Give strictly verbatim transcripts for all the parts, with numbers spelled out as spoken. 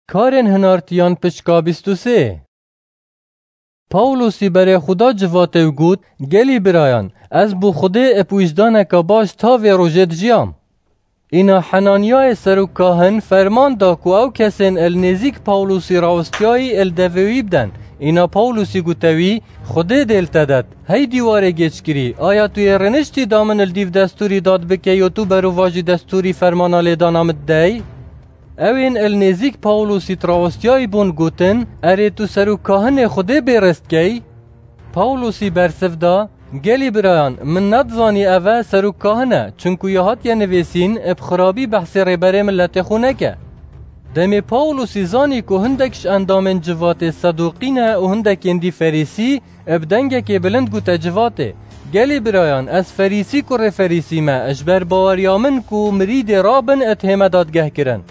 Karên hinartiyan pişka bîst û sê. Pawlosî berê xwe da civatê û got, Gelî birayan, ez bo Xwedê ib wijdaneka baş ta vê rojê dijiyam. Îna Henanyayê serokkahin ferman da ku ew kesên il nêzîk Pawlosî rawestiyayî il devê wî biden. Îna Pawlosî gote wî, Xwedê dê li te det. Hey dîwarê gêçkirî, aya tu yê rêniştî da min il dîv destûrî dad bike yo tu berovajî destûrî fermana lêdana min didey? Ewên il nêzîk Pawlosî di rawestiyayî bûn gotin, Erê tu serokkahinê Xwedê bê rêz dikey? Pawlosî bersiv da, Gelî birayan, min nedizanî ev e serokkahin e, çinku ya hatiye nivîsîn, bi xirabî behsê rêberê miletê xwe neke. Demê Pawlosî zanî ku hindek ji endamên civatê Sedoqî ne û hindekên dî Ferîsî, bi dengekê bilind gote civatê, Gelî birayan, ez Ferîsî kurê Ferîsî me, ji ber baweriya min ku mirîdê rabin id hême dadgehkirin.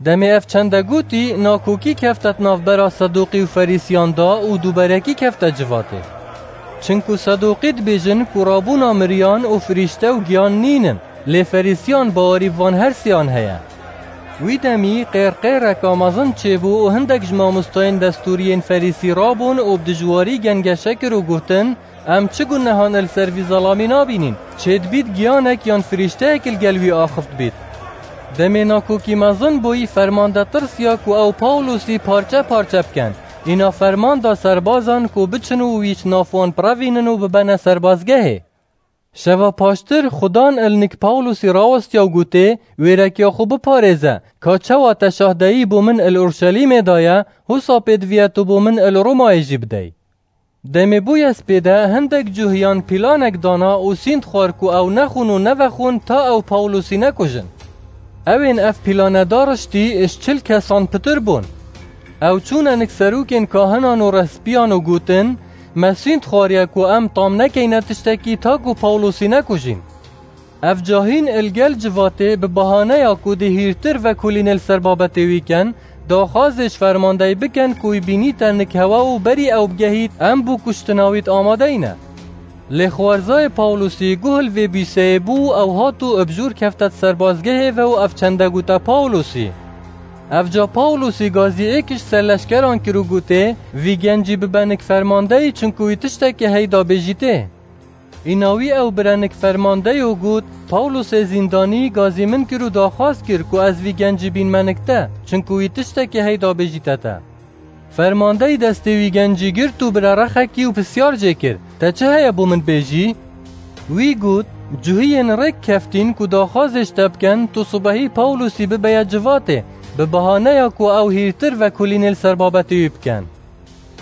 Demê ev çende gotî, nakokî kefte di navbera Sedoqî û Ferîsiyan da û dûberekî kefte civatê. Çinku Sedoqî dibêjin ku rabûna miriyan û firîşte û giyan nînin, lê Ferîsiyan bawerî bi van her sêyan heye. Wî demî qêrqêreka mezin çêbû û hindek ji mamostayên destûriyên Ferîsî rabûn û bi dijwarî gengeşe kir û gotin, Em çi gunehan li ser vî zelamî nabînîn? Çêdibît giyanek yan firîşteyek li gel wî axift bît. Demê nakokî mezin bûyî, fermande tirsiya ku ew Pawlosî parçe parçe bikin. Îna ferman da serbazan ku biçin û wî ji nav wan birevînin û bibene serbazgehê. Şeva paştir Xudan il nik Pawlosî rawestiya û gotê, Wêrekiya xwe biparêze, ka çawa te şahdeyî bo min il Urşelîmê daye, husa pêdiviye tu bo min il Romayê jî bidey. Demê bûye spêde hindek cuhiyan pîlanek dana û sînd xwar ku ew nexwin û nevexwin ta ew Pawlosî nekujin. Ewên ev pîlane dariştî ji çil kesan pitir bûn. Ew çûne nik serokên kahinan û rehspiyan û gotin, Me sînd xwariye ku em tam nekeyne tiştekî ta ku Pawlosî nekujîn. Ev cahîn il gel civatê bi bahaneya ku dê hîrtir vekolînê li ser babetê wî ken, daxwazê ji fermandeyî biken ku wî bînîte nik hewe û berî ew bigehît em bo kuştina wî di amadeyî ne. Lê xwerzayê Pawlosî guh li vê bîseyê bû û ew hat û bi jûr kefte di serbazgehê ve û ev çende gote Pawlosî. Ev ca Pawlosî gazî êk ji serleşkeran kir û gotê, Vî gencî bibe nik fermandeyî çinku wî tiştekê heyda bêjîtê. Îna wî ew bire nik fermandeyî û got, Pawlosê zîndanî gazî min kir û daxwaz kir ku ez vî gencî bînme nik te, çinku wî tiştekê heyda bêjîte te. Fermandeyî destê wî gencî girt û bire rexekî û pisyar jê kir, Te çi heye bo min bêjî? Wî got, Cuhiyên rêk keftîn ku daxwazê ji te biken, tu sibehî Pawlosî bibeye civatê, bi bahaneya ku ew hîrtir vekolînê li ser babetê wî biken.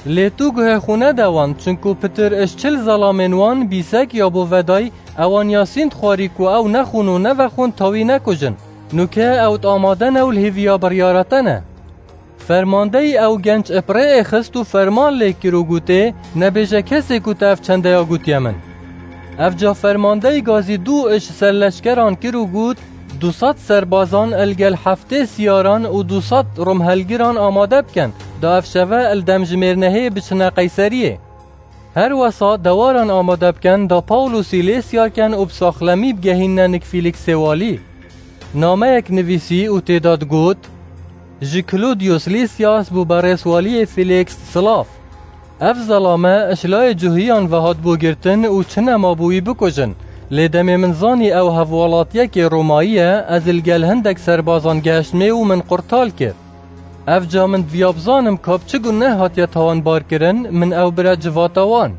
Lê tu guhê xwe nede wan, çinku pitir ji çil zelamên wan bîsek ya bo veday, ewan ya sînd xwarî ku ew nexwin û nevexwin ta wî nekujin. Nûke ew di amade ne û li hêviya biryara te ne. Fermandeyî ew genc bi rê êxist û ferman lê kir û gotê, Nebêje kesê ku te ev çendeya gotiye min. Ev ca fermandeyî gazî dû ji serleşkeran kir û got, Du sed serbazan li gel heftê siyaran û du sed romhelgiran amade bikin, da ev şeve li dem ji mêrnehê biçine Qeyseriyê. Her wesa dewaran amade bikin, da Pawlosî lê siyar ken û bi saxlemî bigehînne nik Fîlîksê walî. Nameyek nivîsî û tê de digot, Ji Klodiyos Lîsyas bo berêz waliyê Fîlîks silav. Ev zelame ji layê cuhiyan ve hatibû girtin û çi nema bo wî bikujin. Lê demê min zanî ew hevwelatiyekê Romayî ye, ez li gel hindek serbazan gehiştmê û min qurtal kir. Ev ca min diviya bizanim ka bi çi guneh hatiye tawanbar kirin, min ew bire civata wan.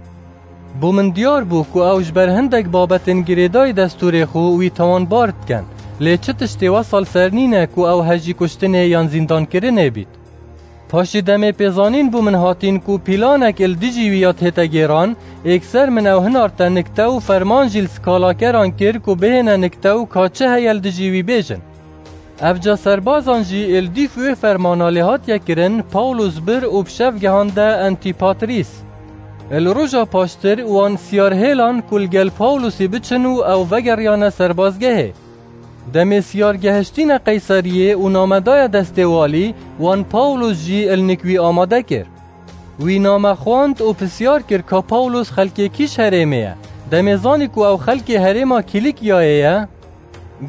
Bo min diyar bû ku ew ji ber hindek babetên girêdayî destûrê xwe wî tawanbar dikin. Lê çi tiştê wesal ser nîne ku ew hejî kuştinê yan zîndankirinê bît. Paşî demê pêzanîn bo min hatîn ku pîlanek li dijî wî ya tête gêran, êkser min ew hinarte nik te û ferman jî li skalakeran kir ku bihêne nik te û ka çi heye li dijî wî bêjin. Ev ca serbazan jî li dîf wê fermana lê hatiye kirin, Pawlos bir û bi şev gehande Antîpatrîs. Li roja paştir wan siyar hêlan ku li gel Pawlosî biçin û ew vegeriyane serbazgehê. Demê siyar gehiştîne Qeyseriyê û name daye destê walî, wan Pawlos jî li nik wî amade kir. Wî name xwend û pisyar kir ka Pawlos xelkê kî ji herêmê ye. Demê zanî ku ew xelkê herêma Kîlîkiyayê ye,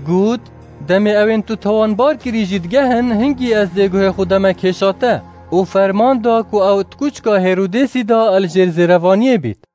got, Demê ewên tu tawanbar kirî jî digehin, hingî ez dê guhê xwe deme kêşa te. Û ferman da ku ew di kuçka Hêrodêsî de li jêr zêrevaniyê bît.